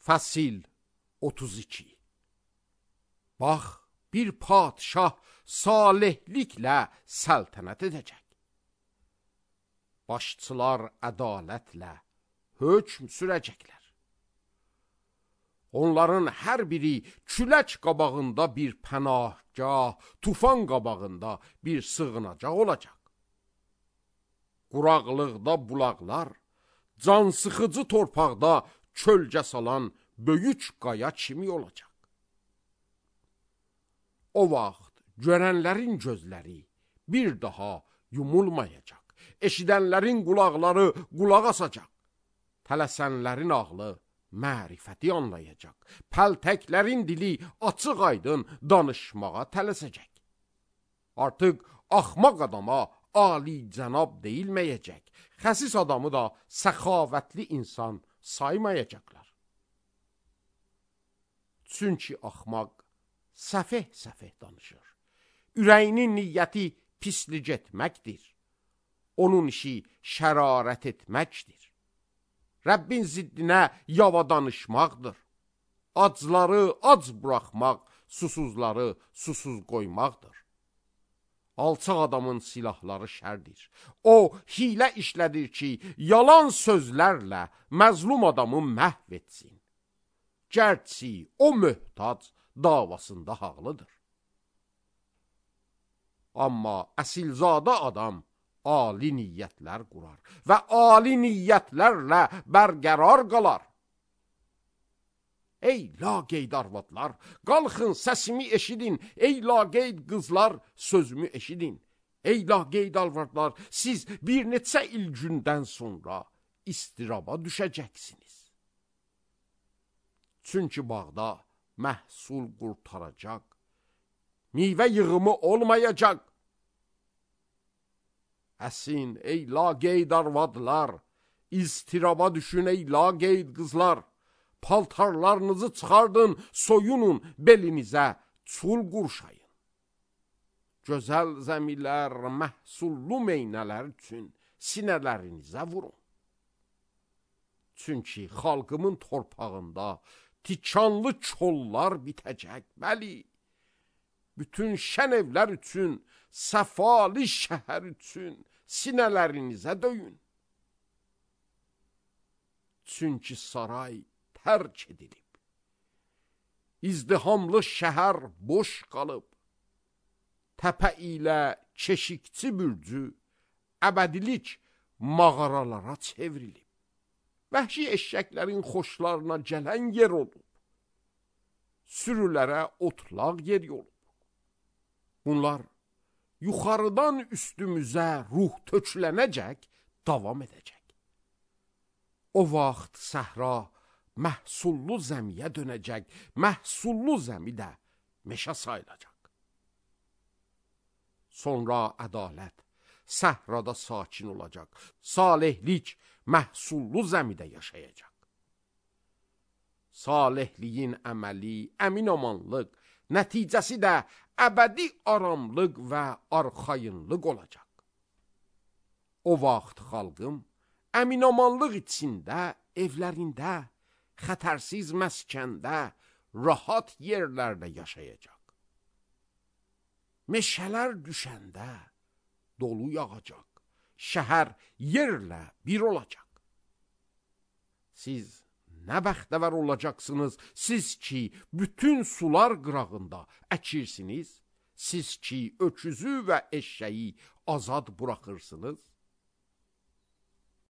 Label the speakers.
Speaker 1: Fəsil 32. Bax, bir padşah salihliklə səltənət edəcək. Başçılar ədalətlə hökm sürəcəklər. Onların hər biri külək qabağında bir pənahgah, tufan qabağında bir sığınacaq olacaq. Quraqlıqda bulaqlar, cansıxıcı torpaqda kölgə salan böyük qaya kimi olacaq. O vaxt görənlərin gözləri bir daha yumulmayacaq. Eşidənlərin qulaqları qulaq asacaq. Tələsənlərin ağlı mərifəti anlayacaq. Pəltəklərin dili açıq aydın danışmağa tələsəcək. Artıq axmaq adama ali cənab deyilməyəcək. Xəsis adamı da səxavətli insan saymayacaqlar. Çünki axmaq səfeh danışır. Ürəyinin niyyəti pislik etməkdir. Onun işi şərarət etməkdir. Rəbbin ziddinə yava danışmaqdır. Acları ac buraxmaq, susuzları susuz qoymaqdır. Alçaq adamın silahları şərdir. O, hilə işlədir ki, yalan sözlərlə məzlum adamı məhv etsin. Gərçi o möhtac davasında haqlıdır. Amma əsilzadə adam ali niyyətlər qurar və ali niyyətlərlə bərqərar qalar. Ey laqeyd arvadlar, qalxın səsimi eşidin. Ey laqeyd qızlar, sözümü eşidin. Ey laqeyd arvadlar, siz bir neçə il gündən sonra istiraba düşəcəksiniz. Çünki bağda məhsul qurtaracaq, meyvə yığımı olmayacaq. Əsin, ey laqeyd arvadlar, istiraba düşün ey laqeyd qızlar. Paltarlarınızı çıxardın, soyunun, belinizə çul qurşayın. Gözəl zəmilər, məhsullu meynələr üçün sinələrinizə vurun. Çünki xalqımın torpağında tikanlı kollar bitəcək, bəli. Bütün şən evlər üçün, səfalı şəhər üçün sinələrinizə döyün. Çünki saray tərk edilib. İzdihamlı şəhər boş qalıb. Təpə ilə keşikçi bürcü əbədilik mağaralara çevrilib. Vəhşi eşşəklərin xoşlarına gələn yer olub. Sürülərə otlaq yer olub. Bunlar yuxarıdan üstümüzə ruh tökülənəcək, davam edəcək. O vaxt səhra məhsullu zəmiyə dönəcək, məhsullu zəmi də meşə sayılacaq. Sonra ədalət səhrada sakin olacaq, salihlik məhsullu zəmidə yaşayacaq. Salihliyin əməli, əminamanlıq, nəticəsi də əbədi aramlıq və arxayınlıq olacaq. O vaxt xalqım əminamanlıq içində, evlərində, xətərsiz məskəndə, rahat yerlərdə yaşayacaq. Meşələr düşəndə dolu yağacaq, şəhər yerlə bir olacaq. Siz nə bəxtəvər olacaqsınız, siz ki, bütün sular qırağında əkirsiniz, siz ki, öküzü və eşşəyi azad buraxırsınız.